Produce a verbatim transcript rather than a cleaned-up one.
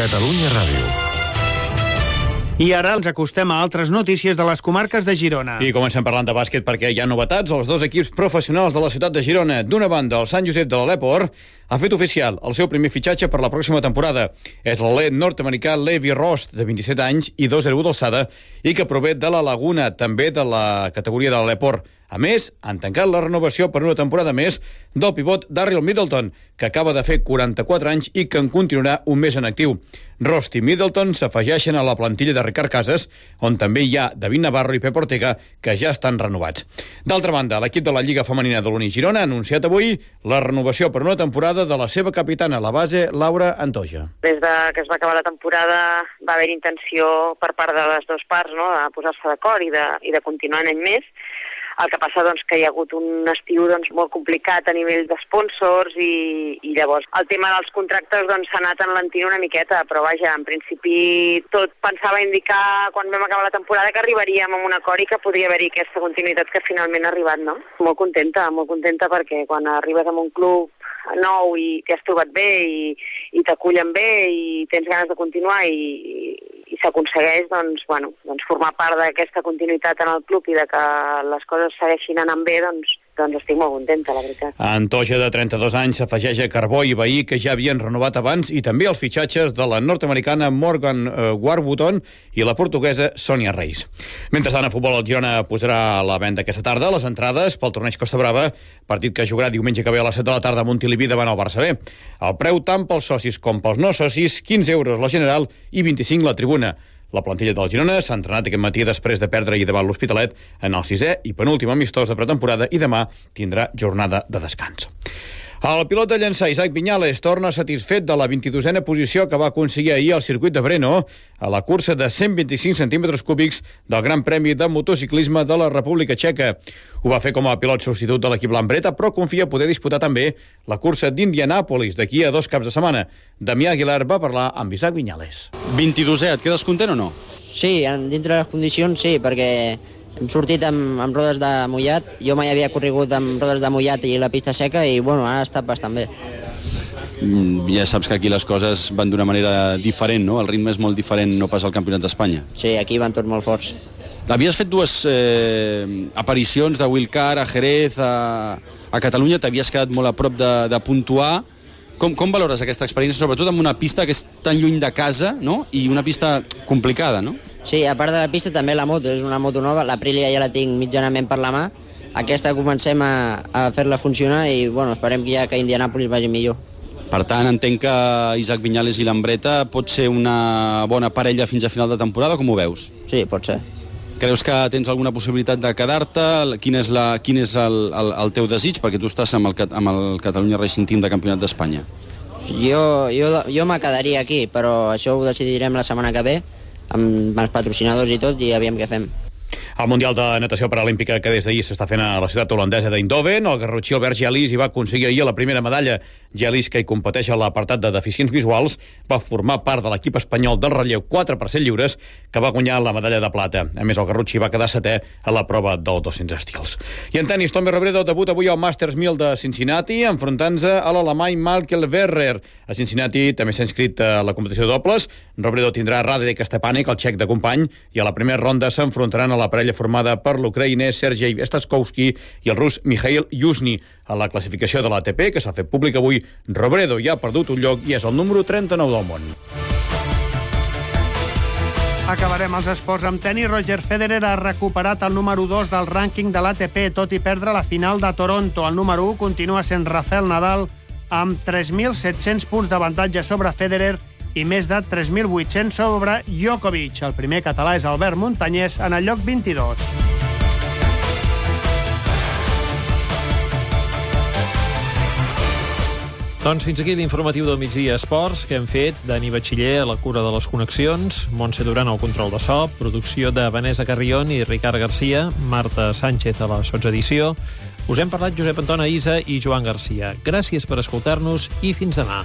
Catalunya Ràdio. I ara ens acostem a altres notícies de les comarques de Girona. I comencem parlant de bàsquet perquè hi ha novetats als dos equips professionals de la ciutat de Girona. D'una banda, el Sant Josep de l'Aleport ha fet oficial el seu primer fitxatge per la pròxima temporada. És l'atleta nord-americà Levi Rost, de vint-i-set anys i dos coma zero u d'alçada, i que prové de la Laguna, també de la categoria de l'Aleport. A més, han tancat la renovació per una temporada més del pivot Darryl Middleton, que acaba de fer quaranta-quatre anys i que en continuarà un mes en actiu. Rost i Middleton s'afegeixen a la plantilla de Ricard Casas, on també hi ha David Navarro i Pep Ortega, que ja estan renovats. D'altra banda, l'equip de la Lliga Femenina de l'Uni Girona ha anunciat avui la renovació per una temporada de la seva capitana, la base Laura Antoja. Des de que es va acabar la temporada va haver intenció per part de les dues parts, no?, de posar-se d'acord i de, i de continuar un any més. El que passa doncs, que hi ha hagut un estiu doncs, molt complicat a nivell d'esponsors i, i llavors el tema dels contractes doncs, s'ha anat enlentint una miqueta, però vaja, en principi tot pensava indicar quan vam acabar la temporada que arribaríem a un acord i que podria haver-hi aquesta continuïtat que finalment ha arribat, no? Molt contenta, molt contenta perquè quan arribes a un club nou i t'hi has trobat bé i, i t'acullen bé i tens ganes de continuar i, i s'aconsegueix doncs, bueno, doncs formar part d'aquesta continuïtat en el club i de que les coses segueixin anant bé, doncs, doncs estic molt contenta, la veritat. Antoja, de trenta-dos anys, s'afegeix a Carbó i Bahí, que ja havien renovat abans, i també els fitxatges de la nord-americana Morgan eh, Warburton i la portuguesa Sònia Reis. Mentrestant, a futbol, el Girona posarà a la venda aquesta tarda les entrades pel torneig Costa Brava, partit que jugarà diumenge que ve a les set de la tarda a Montilivi davant el Barça B. El preu tant pels socis com pels no socis, quinze euros la general i vint-i-cinc la tribuna. La plantilla del Girona s'ha entrenat aquest matí després de perdre i davant l'Hospitalet en el sisè i penúltim amistós de pretemporada i demà tindrà jornada de descans. El pilot de llançar Isaac Viñales torna satisfet de la vint-i-dosena posició que va aconseguir ahir al circuit de Brno a la cursa de cent vint-i-cinc centímetres cúbics del Gran Premi de Motociclisme de la República Txeca. Ho va fer com a pilot substitut de l'equip Lambreta, però confia poder disputar també la cursa d'Indianàpolis d'aquí a dos caps de setmana. Damià Aguilar va parlar amb Isaac Viñales. vint-i-dosè, et quedes content o no? Sí, dintre de les condicions sí, perquè hem sortit amb, amb rodes de mullat. Jo mai havia corregut amb rodes de mullat i la pista seca i bueno, ha estat bastant bé. Ja saps que aquí les coses van d'una manera diferent, no? El ritme és molt diferent, no pas al Campionat d'Espanya. Sí, aquí van tots molt forts. Havies fet dues eh, aparicions de Wilcar a Jerez, a, a Catalunya, t'havies quedat molt a prop de, de puntuar. Com, com valores aquesta experiència, sobretot amb una pista que és tan lluny de casa, no?, i una pista complicada, no? Sí, a part de la pista també la moto, és una moto nova, l'Aprilia ja la tinc mitjanament per la mà, aquesta comencem a, a fer-la funcionar i bueno, esperem que ja que Indianàpolis vagi millor. Per tant, entenc que Isaac Viñales i Lambreta pot ser una bona parella fins a final de temporada, com ho veus? Sí, pot ser. Creus que tens alguna possibilitat de quedar-te? Quin és, la, quin és el, el, el teu desig? Perquè tu estàs amb el, amb el Catalunya Racing Team de Campionat d'Espanya. Jo, jo, jo me quedaria aquí, però això ho decidirem la setmana que ve, amb els patrocinadors i tot, i aviam què fem. El Mundial de Natació Paralímpica que des d'ahir s'està fent a la ciutat holandesa d'Eindhoven, el garrotxí Albert Gelis hi va aconseguir ahir la primera medalla. Gelis, que hi competeix a l'apartat de deficients visuals, va formar part de l'equip espanyol del relleu quatre per cent lliures, que va guanyar la medalla de plata. A més, el garrotxí va quedar setè a la prova dels dos-cents estils. I en tenis, Tommy Robredo debut avui al Masters mil de Cincinnati, enfrontant-se a l'alemany Michael Werrer. A Cincinnati també s'ha inscrit a la competició de dobles. Robredo tindrà Radek Stepanek, el txec de company, i a la primera ronda s'enfrontaran a la parella formada per l'ucraïnès Sergei Staskowski i el rus Mikhail Yuzhny. A la classificació de l'A T P, que s'ha fet públic avui, Robredo ja ha perdut un lloc i és el número trenta-nou del món. Acabarem els esports amb tenis. Roger Federer ha recuperat el número dos del rànquing de l'A T P, tot i perdre la final de Toronto. El número u continua sent Rafael Nadal, amb tres mil set-cents punts d'avantatge sobre Federer i més de tres mil vuit-cents sobre Djokovic. El primer català és Albert Muntanyès en el lloc vint-i-dos. Doncs fins aquí l'informatiu del migdia Esports que hem fet Dani Batxiller a la cura de les connexions, Montse Duran al control de so, producció de Vanessa Carrion i Ricard Garcia, Marta Sánchez a la sotsedició. Us hem parlat Josep Antona Isa i Joan Garcia. Gràcies per escoltar-nos i fins demà.